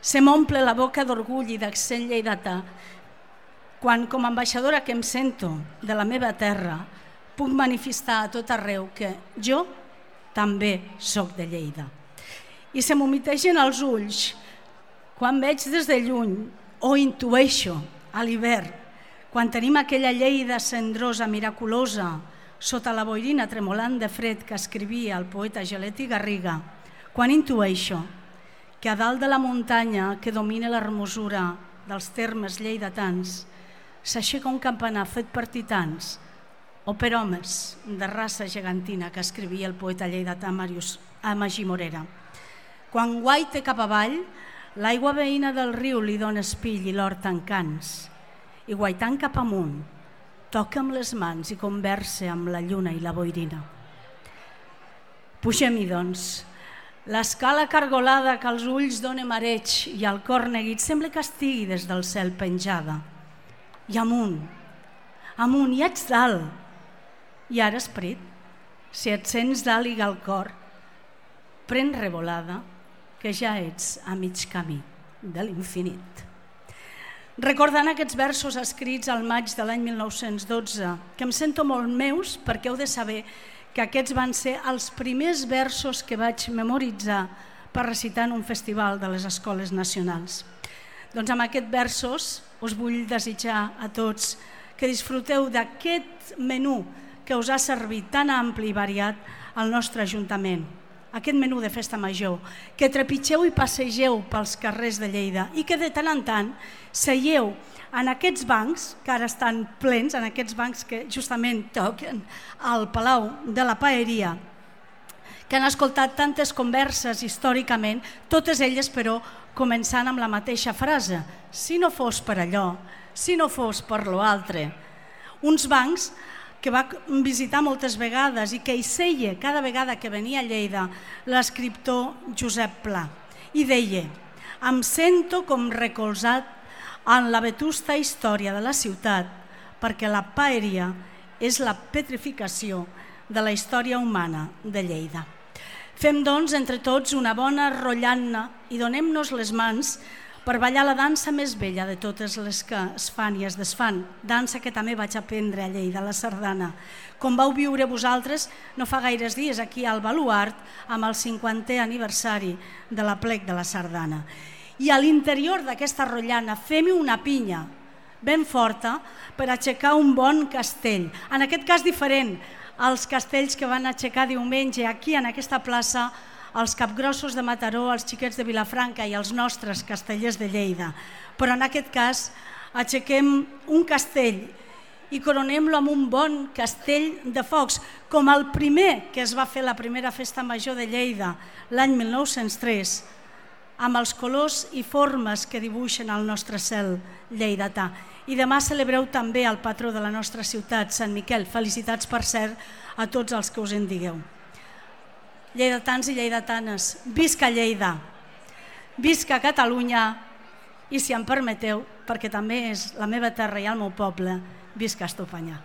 Se m'omple la boca d'orgull i d'accent lleidatà quan, com a ambaixadora que em sento de la meva terra, puc manifestar a tot arreu que jo també soc de Lleida. I se m'humitegen els ulls quan veig des de lluny o intueixo a l'hivern, quan tenim aquella Lleida cendrosa, miraculosa, sota la boirina tremolant de fred que escrivia el poeta Geleti Garriga, quan intueixo que a dalt de la muntanya que domina l'hermosura dels termes lleidatans s'aixeca un campanar fet per titans o per homes de raça gegantina que escrivia el poeta lleidatà Magí Morera. Quan guaite cap avall, l'aigua veïna del riu li dona espill i l'hort encants, i guaitant cap amunt, toca amb les mans i conversa amb la lluna i la boirina. Pugem-hi, doncs. L'escala cargolada que als ulls dona mareig i al cor neguit sembla que estigui des del cel penjada. I amunt, i ets dalt. I ara, esperit, si et sents dalt i al cor, pren revolada, que ja ets a mig camí de l'infinit. Recordant aquests versos escrits al maig de l'any 1912, que em sento molt meus perquè heu de saber que aquests van ser els primers versos que vaig memoritzar per recitar en un festival de les escoles nacionals. Doncs amb aquests versos us vull desitjar a tots que disfruteu d'aquest menú que us ha servit tan ampli i variat al nostre Ajuntament, aquest menú de festa major, que trepitgeu i passegeu pels carrers de Lleida i que de tant en tant seieu en aquests bancs, que ara estan plens, en aquests bancs que justament toquen al Palau de la Paeria, que han escoltat tantes converses històricament, totes elles, però, començant amb la mateixa frase: si no fos per allò, si no fos per lo altre. Uns bancs que va visitar moltes vegades i que hi seia cada vegada que venia a Lleida l'escriptor Josep Pla. I deia: em sento com recolzat en la vetusta història de la ciutat, perquè la Paeria és la petrificació de la història humana de Lleida. Fem, doncs, entre tots una bona rotllant-ne i donem-nos les mans per ballar la dansa més bella de totes les que es fan i es desfan, dansa que també vaig aprendre a Lleida, la sardana, com vau viure vosaltres no fa gaires dies aquí al Baluart amb el 50è aniversari de l'aplec de la sardana. I a l'interior d'aquesta rotllana fem-hi una pinya ben forta per aixecar un bon castell, en aquest cas diferent als castells que van aixecar diumenge aquí en aquesta plaça els capgrossos de Mataró, els xiquets de Vilafranca i els nostres castellers de Lleida. Però en aquest cas aixequem un castell i coronem-lo amb un bon castell de focs, com el primer que es va fer la primera festa major de Lleida l'any 1903, amb els colors i formes que dibuixen el nostre cel lleidatà. I demà celebreu també el patró de la nostra ciutat, Sant Miquel. Felicitats, per cert, a tots els que us en digueu. Lleidatans i lleidatanes, visca Lleida, visca Catalunya i, si em permeteu, perquè també és la meva terra i el meu poble, visca Estopanyà.